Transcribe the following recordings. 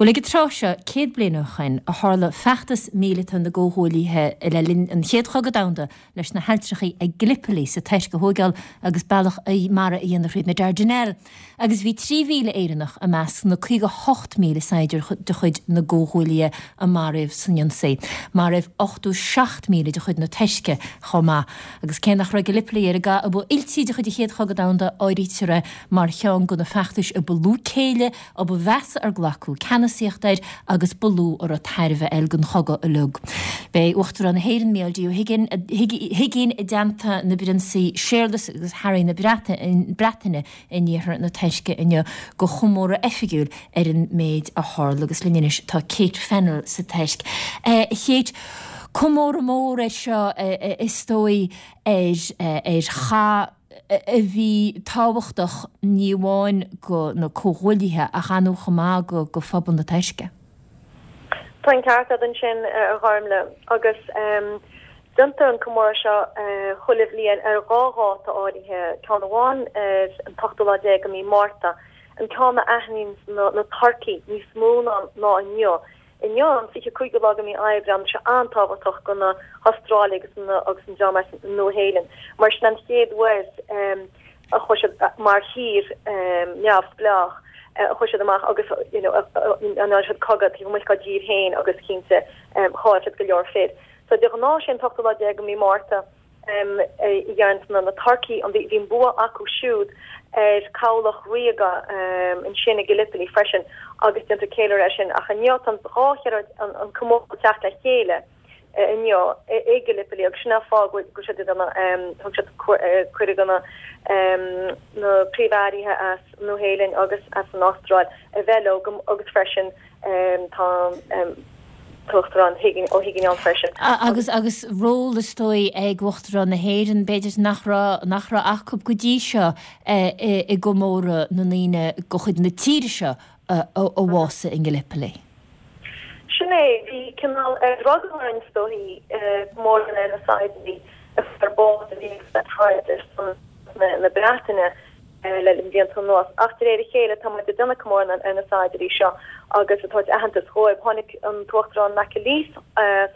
Bhuel, ag an tráth seo, 100 bliain ó shoin, a tharla feachtas míleata na gComhghuaillithe le linn an Chéad Chogadh Domhanda leis na hailltreachaí ag Gallipoli sa Tuirc a thóigeáil agus bealach mara a dhéanamh thríd na Dardanelles. Agus bhí 3,000 Éireannach i measc na 58,000 saighdiúir de chuid na gComhghuaillithe a maraíodh san ionsaí. Maraíodh 87,000 de chuid na Tuirce chomh maith. Agus cé nach raibh Gallipoli ar an gcath a ba fhuiltí de chuid an Chéad Chogadh Domhanda, áirítear é mar cheann de na feachtais a ba lú céille, a ba mheasa ar glacadh ceannasaíocht air agus ba lú a raibh tairbhe air den chogadh uilig. Beidh Uachtarán na hÉireann, Mícheál D. Ó hUigínn, i dteannta na bPrionsaí Séarlas agus Harry na Breataine in iarthar na Tuirce inniu do chomóradh oifigiúil ar an méid a tharla agus linn anois tá Kate Fennell sa Tuirc. A Kate, comóradh mór é seo is dóigh ar chath a bhí tábhachtach ní amháin go na Comhghuaillithe ach ar ndóigh chomh maith go phobal na Tuirce. Tá an ceart agat ansin, a Ghormlaith, agus déantar an comóradh seo chuile bhliain ar dhá dháta áirithe, ceann amháin ar an t-ochtú lá déag de mhí Márta, an ceann a aithníonn na Turcaigh níos mó ná inniu. Inniu, an 25ú lá de mhí Aibreán, tá sé an-tábhachtach do na hAstrálaigh agus an dream as an Nua-Shéalainn, mar sin an chéad uair a chuaigh siad mar thír neamhspleách, a chuaigh siad amach agus you know a ndearna siad cogadh taobh amuigh dá dtír féin agus cinnte chaill siad go leor fir. So de ghnáth sé an t-ochtú lá déag de mhí Márta a dhéanann na Turcaigh, an bhí an bua acu siúd ar cabhlach ríoga ansin i Gallipoli freisin agus déantar ceiliúradh air sin ach inniu tá an dhá cheiliúradh an comóradh ag teacht le chéile inniu i Gallipoli agus sin an fáth go bhfuil siad ag déanamh thug siad cuireadh do na na príomh-airithe as Nua-Shéalainn agus as an Astráil a bheith leo agus freisin tá an tUachtarán Ó hUigínn ann freisin. Agus agus ról is dóigh ag Uachtarán na hÉireann b'fhéidir nach raibh nach raibh acu go dtí seo i gcomóradh na ndaoine de chuid na tíre seo a bhásaigh i nGallipoli. Sin é, bhí cineál drogall orainn is dóichí comóradh ar na saighdiúirí a fuair bás a bhí ag troid ar son na Breataine le blianta anuas. Ach de réir a chéile tá muid ag déanamh comóradh ar na saighdiúirí seo agus ag tabhairt aitheantas dhóibh. Tháinig an tUachtarán McAleese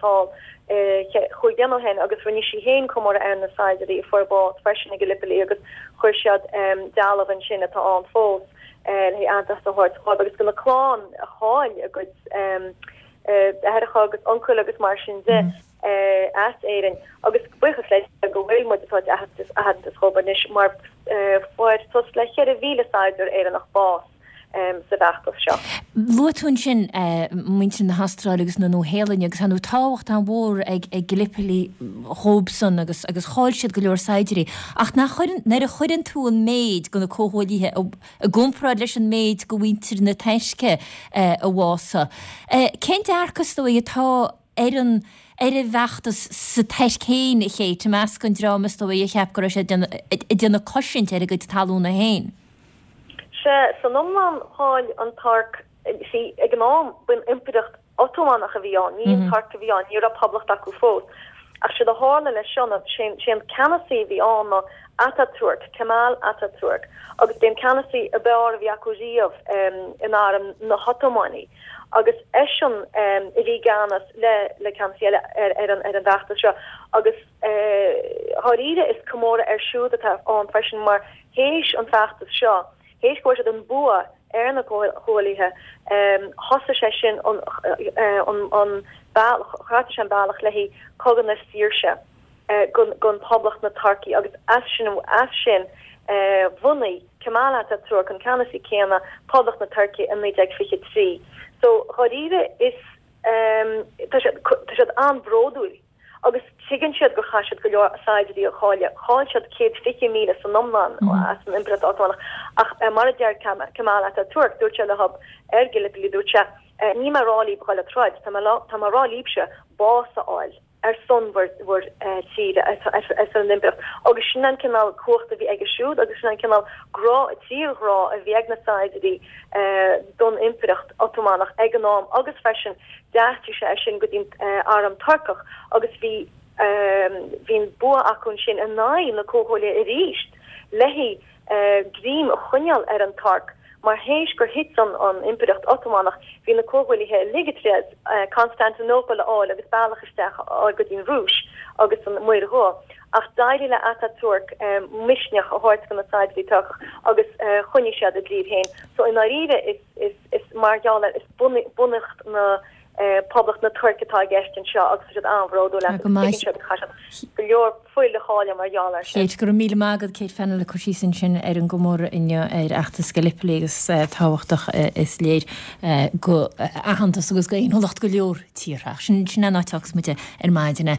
thall chúig bliana ó shin agus rinne sí féin comóradh ar na saighdiúirí a fuair bás freisin i Gallipoli agus chuir siad dealbh ansin atá ann fós le haitheantas a thabhairt dhóibh agus do na clann a chaill a gcuid deartháireacha agus uncail agus mar sin de as Éirinn agus buíochas le Dia go bhfuil muid ag tabhairt aitheantas dhóibh anois mar fuair suas le 4,000 saighdiúir Éireannach bás sa bhfeachtas seo. Luaigh tú ansin muintir na hAstráile agus na Nua-Shéalainne agus ar ndóigh tábhacht an-mhór ag Gallipoli dhóibhsan agus agus chaill siad go leor saighdiúirí. Ach nach chuireann, nuair a chuireann tú an méid de na Comhghuaillithe i gcomparáid leis an méid de mhuintir na Tuirce a bhásaigh, cén dearcadh is dóigh atá ar an ar an bhfeachtas sa Tuirc féin, a Kate, i measc an dream is dóigh a cheap go raibh siad ag déanamh cosaint ar a gcuid talúna féin? Sea, san iomlán chaill an Tuirc, see, ag an am, b'in Impireacht Otamánach a bhí ann, ní an Tuirc a bhí ann, ní raibh poblacht acu fós. Ach séard a tharla leis seo ná, sé an ceannasaí a bhí ann ná Ataturk, Kemal Ataturk, agus b'é an ceannasaí ab fhearr a bhí acu riamh in arm na hOtamánaigh. Agus eisean a bhí i gceannas le le ceannasaí eile ar ar an ar an bhfeachtas seo agus dháiríre is comóradh air siúd atá ann freisin mar théis an feachtas seo, théis go bhfuair siad an bua ar na Comhghuaillithe, thosaigh sé sin an an bealach, chreat sé an bealach le haghaidh cogadh na saoirse don Poblacht na Tuirce agus as sin as sin bhunaigh Kemal Atatürk, an ceannasaí céanna, Poblacht na Tuirce i 1923. So dháiríre is tá siad tá siad an-bhródúil. Agus tuigeann siad gur chaith siad go leor saighdiúirí a chailleadh. Chaill siad 120,000 san iomlán as an Impireacht Otamánach. Ach mar a deir Kemal Atatürk, dúirt sé leo ar Gallipoli, dúirt sé, Níl mé ag rá libh dhul ag troid, tá mé ag rá libhse bás a fháil ar son bhur bhur tíre, ar son an Impireacht. Agus sin an cineál cumhacht a bhí aige siúd agus sin an cineál grá, tírghrá a bhí ag na saighdiúirí don Impireacht Otamánach ag an am agus freisin D'aistrigh sé é sin go dtí an arm Turcach agus bhí bhí an bua acu ansin in aghaidh na Comhghuaillithe arís le greim a choinneáil ar an Tuirc. Mar théis gur thit an an Impireacht Otamánach, bhí na Comhghuaillithe uilig ag triail Constantinople a fháil agus bealach isteach a fháil go dtí an Rúis agus an Muir Dhubh. Ach d'éirigh le Atatürk misneach a thabhairt do na saighdiúirí Turcach agus choinnigh siad a dtír féin. So i ndáiríre is is is mar gheall ar is bunaíocht na Poblacht na Tuirce atá i gceist anseo agus tá siad an-bhródúil as agus tuigeann siad go gcaithfidh siad go leor fuil a chailleadh mar gheall air sin. Kate, Go raibh míle maith agat, Kate Fennell ag cur síos ansin ar an gcomóradh inniu ar fheachtas Gallipoli agus tábhachtach is léir go aitheantas agus go fhéiniúlacht go leor tíortha. Ach sin sin an áit a fhágfas muid ar maidin.